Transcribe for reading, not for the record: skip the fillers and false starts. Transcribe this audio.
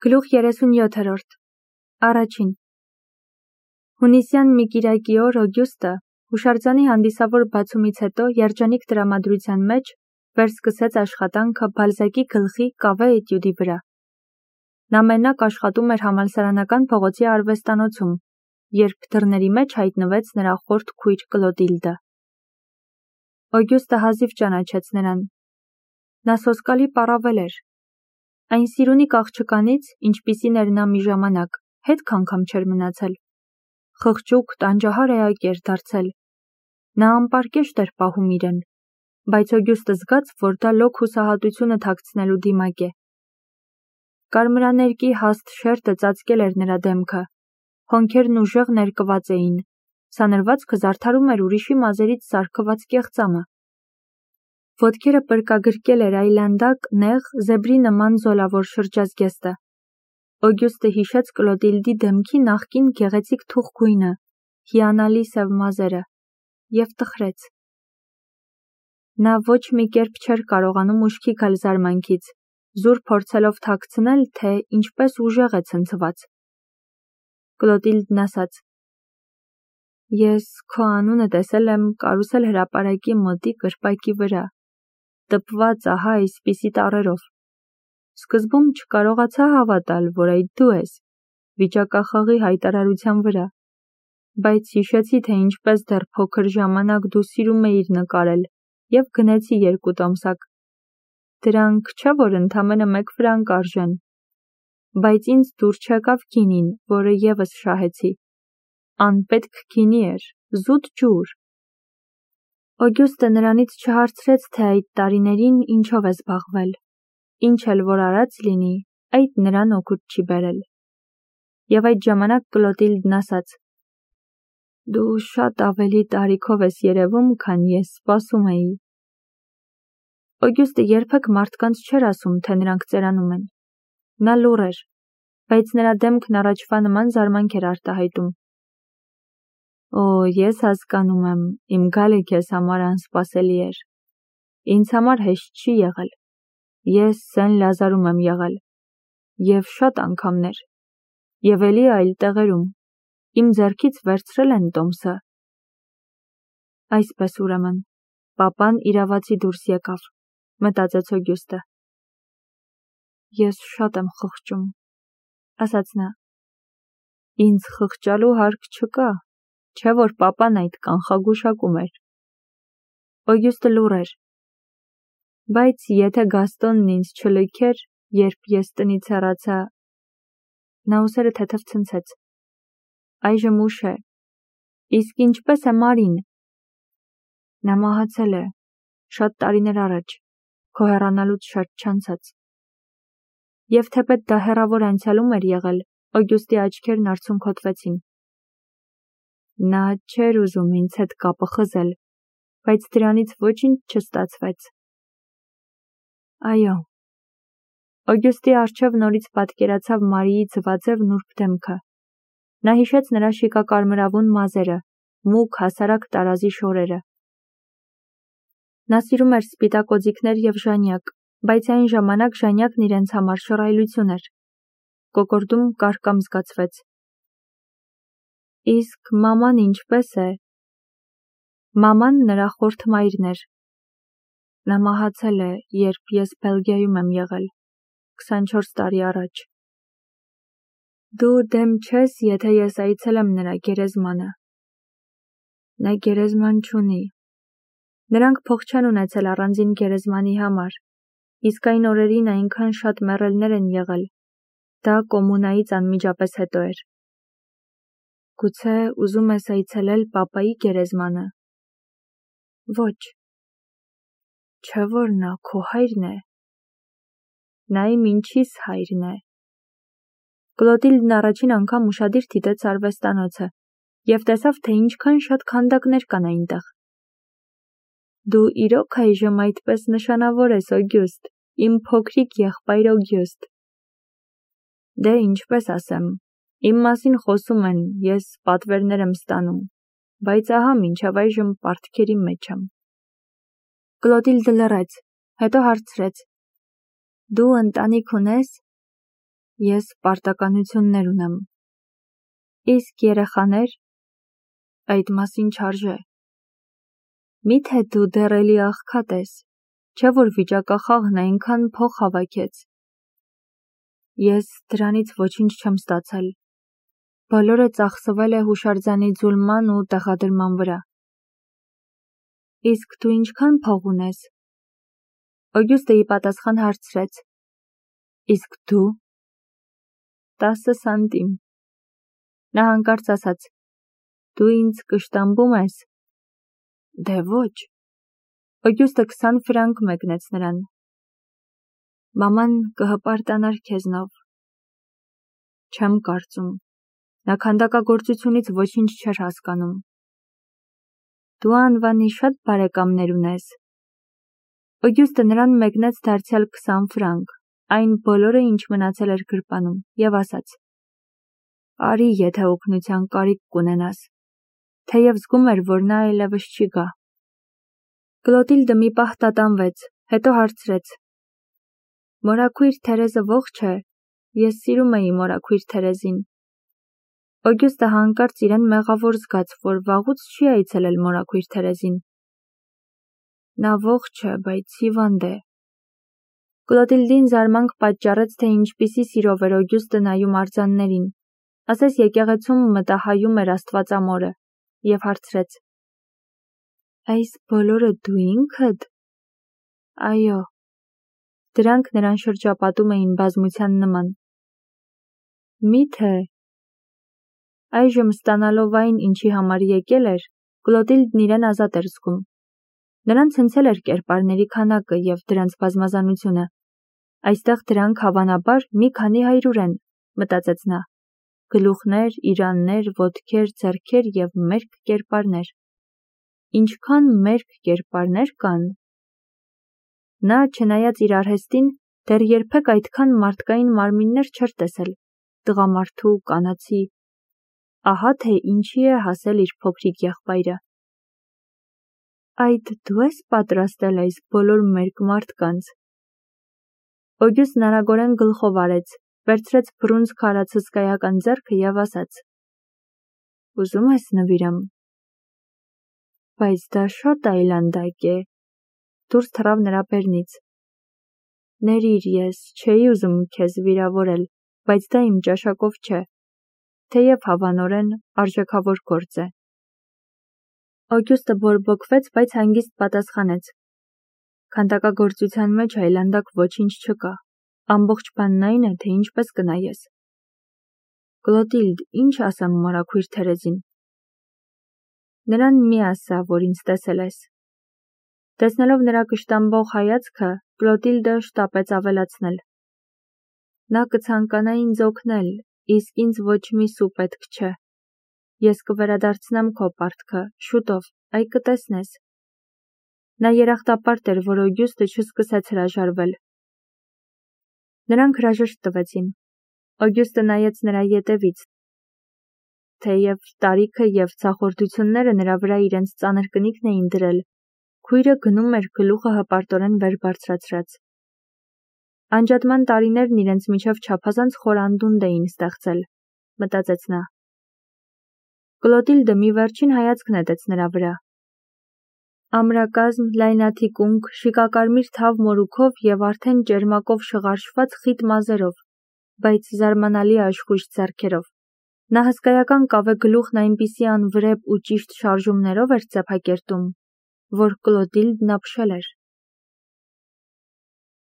Գլուխ 37-րդ Առաջին Հունիսյան մի կիրակի օր Օգյուստը հուշարձանի հանդիսավոր բացումից հետո երջանիկ տրամադրության մեջ վերսկսեց աշխատանքը Բալզակի գլխի կավե էտյուդի վրա։ Նա մենակ աշխատում էր համալսարանական փողոցի արվեստանոցում, երբ դռների մեջ հայտնվեց նրա խորթ քույր Կլոդիլդը։ Օգյուստը հազիվ ճանաչեց նրան։ Նա սոսկալի պառավել էր։ Այն սիրունիկ աղջկանից, ինչպիսին էր նա մի ժամանակ, հետք անգամ չէր մնացել։ Խղճուկ, տանջահար էակ էր դարձել։ Նա անպարկեշտ էր պահում իրեն, բայց Օգյուստը զգաց, որ դա լոկ հուսահատությունը թաքցնելու դիմակ է։ Կարմրաներկի հաստ շերտը ծածկել էր նրա դեմքը, հոնքերն ուժեղ ներկված էին, սանրվածքը զարդարում էր ուրիշի մազերից սարքված կեղծամը։ Ոտքերը պրկագրկել էր այլանդակ, նեղ, զեբրի նման զոլավոր շրջազգեստը։ Օգյուստը հիշեց Կլոդիլդի դեմքի նախկին գեղեցիկ թուխ գույնը, հիանալի սև մազերը, և տխրեց։ Նա ոչ մի կերպ չէր կարողանում ուշքի գալ զարմանքից, զուր փորձելով թաքցնել, թե ինչպես ուժեղ է ցնցված։ Կլոդիլդն ասաց. Ես քո անունը տեսել եմ Կարուսել հրապարակի մոտի կրպակի վրա, տպված ահա այսպիսի տառերով։ Սկզբում չկարողացա հավատալ, որ այդ դու ես, վիճակախաղի հայտարարության վրա, բայց հիշեցի, թե ինչպես դեռ փոքր ժամանակ դու սիրում էիր նկարել, և գնեցի 2 տոմսակ։ Դրանք չէ, որ ընդամենը 1 ֆրանկ արժեն, բայց ինձ դուր չեկավ գինին, որը ևս շահեցի։ Անպետք գինի էր, զուտ ջուր։ Օգյուստը նրանից չհարցրեց, թե այդ տարիներին ինչով է զբաղվել, ինչ էլ որ արած լինի, այդ նրան օգուտ չի բերել։ Եվ այդ ժամանակ Կլոդիլդն ասաց. Դու շատ ավելի տարիքով ես երևում, քան ես սպասում էի։ Օգյուստը երբեք մարդկանց չէր ասում, թե նրանք ծերանում են։ Նա լուռ էր, բայց նրա դեմքն առաջվա նման զարմանք էր արտահայտում։ Օ, ես հասկանում եմ, իմ գալը քեզ համար անսպասելի էր։ Ինձ համար հեշտ չի եղել։ Ես Սեն Լազարում եմ եղել, և շատ անգամներ, և էլի այլ տեղերում, իմ ձեռքից վերցրել են տոմսը։ Այսպես ուրեմն, պապան իրավացի դուրս եկավ, մտածեց Օգյուստը։ Ես շատ եմ խղճում, ասաց նա։ Ինձ խղճալու հարկ չկա, չէ որ պապան այդ կանխագուշակում էր։ Օգյուստը լուռ էր։ Բայց եթե Գաստոնն ինձ չլքեր, երբ ես տնից հեռացա, նա ուսերը թեթև ցնցեց։ Այժմ ուշ է։ Իսկ ինչպես է Մարին։ Նա մահացել է, շատ տարիներ առաջ, քո հեռանալուց շատ չանցած։ Եվ թեպետ դա հեռավոր անցյալում էր եղել, Օգյուստի աչքերն արցունքոտվեցին։ Նա չէր ուզում ինձ հետ կապը խզել, բայց դրանից ոչինչ չստացվեց։ Այո։ Օգյուստի առջև նորից պատկերացավ Մարիի ձվաձև նուրբ դեմքը։ Նա հիշեց նրա շիկակարմրավուն մազերը, մուգ հասարակ տարազի շորերը։ Նա սիրում էր սպիտակ օձիքներ և ժանյակ, բայց այն ժամանակ ժանյակն իրենց համար շռայլություն էր։ Կոկորդում կարկամ զգացվեց։ Իսկ մաման ինչպես է։ Մաման նրա խորթ մայրն էր։ Նա մահացել է, երբ ես Բելգիայում եմ եղել, 24 տարի առաջ։ Դու դեմ չես, եթե ես այցելեմ նրա գերեզմանը։ Նա գերեզման չունի։ Նրանք փող չեն ունեցել առանձին գերեզմանի համար, իսկ այն օրերին այնքան շատ մեռելներ են եղել։ Դա կոմունայից անմիջապես հետո էր։ Գուցե ուզում ես այցելել պապայի գերեզմանը։ Ոչ։ Չէ որ նա քո հայրն է։ Նա իմ ինչիս հայրն է։ Կլոդիլդն առաջին անգամ ուշադիր դիտեց արվեստանոցը և տեսավ, թե ինչքան շատ քանդակներ կան այնտեղ։ Դու իրոք այժմ այդպես նշանավոր ես, Օգյուստ, իմ փոքրիկ եղբայր Օգյուստ։ Դե ինչպես ասեմ, իմ մասին խոսում են, ես պատվերներ եմ ստանում, բայց ահա մինչև այժմ պարտքերի մեջ եմ։ Կլոդիլդը լռեց, հետո հարցրեց. Դու ընտանիք ունես։ Ես պարտականություններ ունեմ։ Իսկ երեխաներ, այդ մասին չարժե։ Միթե դու դեռ էլի աղքատ ես, չէ որ վիճակախաղն այնքան փող հավաքեց։ Ես դրանից ոչինչ չեմ ստացել։ Բոլորը ծախսվել է հուշարձանի ձուլման ու տեղադրման վրա։ Իսկ դու ինչքան փող ունես։ Օգյուստը ի պատասխան հարցրեց. Իսկ դու։ 10 սանտիմ։ Նա հանկարծ ասաց. Դու ինձ կշտամբում ես։ Դե ոչ։ Օգյուստը 20 ֆրանկ մեկնեց նրան։ Մաման կհպարտանար քեզնով։ Չեմ կարծում։ Նա քանդակագործությունից ոչինչ չէր հասկանում։ Դու անվանի շատ բարեկամներ ունես։ Օգյուստը նրան մեկնեց դարձյալ 20 ֆրանկ, այն բոլորը, ինչ մնացել էր գրպանում, և ասաց. Արի, եթե օգնության կարիք կունենաս, թեև զգում էր, որ նա այլևս չի գա։ Կլոտիլդը մի պահ տատանվեց, հետո հարցրեց. Մորաքույր Թերեզը ողջ է, ես սիրում էի մորաքույր Թերեզին։ Օգյուստը հանկարծ իրեն մեղավոր զգաց, որ վաղուց չի այցելել մորաքույր Թերեզին։ Նա ողջ է, բայց հիվանդ է։ Կլոտիլդին զարմանք պատճառեց, թե ինչպիսի սիրով էր Օգյուստը նայում արձաններին, ասես եկեղեցում մտահայում էր Աստվածամորը, և հարցրեց. Այս բոլորը դու ինքդ։ Այո։ Դրանք նրան շրջապատում էին բազմության նման։ Միթե։ Այժմ ստանալով այն, ինչի համար եկել էր, Կլոտիլդն իրեն ազատ էր զգում։ Նրան ցնցել էր կերպարների քանակը և դրանց բազմազանությունը։ Այստեղ դրանք հավանաբար մի քանի հարյուր են, մտածեց նա։ Գլուխներ, իրաններ, ոտքեր, ձեռքեր և մերկ կերպարներ։ Ինչքան մերկ կերպարներ կան։ Նա, չնայած իր արհեստին, դեռ երբեք այդքան մարդկային մարմիններ չէր տեսել, տղամարդու, կանացի։ Ահա թե ինչի է հասել իր փոքրիկ եղբայրը։ Այդ դու ես պատրաստել այս բոլոր մերկ մարդկանց։ Օգյուստն արագորեն գլխով արեց, վերցրեց բռունցք արած հսկայական ձեռքը և ասաց. Ուզում ես նվիրեմ։ Բայց դա շատ այլանդակ է։ Դուրս թռավ նրա բերնից։ Ներիր, ես չէի ուզում քեզ վիրավորել, բայց դա իմ ճաշակով չէ, թեև հավանորեն արժեքավոր գործ է։ Օգյուստը բորբոքվեց, բայց հանգիստ պատասխանեց. Քանդակագործության մեջ այլանդակ ոչինչ չկա։ Ամբողջ բանն այն է, թե ինչպես կնայես։ Կլոտիլդ, ինչ ասեմ մորաքույր Թերեզին։ Նրան մի ասա, որ ինձ տեսել ես։ Տեսնելով նրա կշտամբող հայացքը, Կլոտիլդը շտապեց ավելացնել. Նա կցանկանա ինձ օգնել, իսկ ինձ ոչ մի սու պետք չէ։ Ես կվերադարձնեմ քո պարտքը, շուտով, այ կտեսնես։ Նա երախտապարտ էր, որ Օգյուստը չսկսեց հրաժարվել։ Նրանք հրաժեշտ տվեցին։ Օգյուստը նայեց նրա ետևից, թեև տարիքը և ցախորդությունները նրա վրա իրենց ծանր կնիքն էին դրել, քույրը գնում էր գլուխը հպարտորեն վեր բարձրացրած։ Անջատման տարիներն իրենց միջև չափազանց խոր անդունդ էին ստեղծել, մտածեց նա։ Կլոտիլդը մի վերջին հայացք նետեց նրա վրա։ Ամրակազմ, լայնաթիկունք, շիկակարմիր թավ մորուքով և արդեն ճերմակով շղարշված խիտ մազերով, բայց զարմանալի աշխույժ ձեռքերով։ Նա հսկայական կավե գլուխն այնպիսի անվրեպ ու ճիշտ շարժումներով էր ծեփակերտում, որ Կլոտիլդն ապշել էր։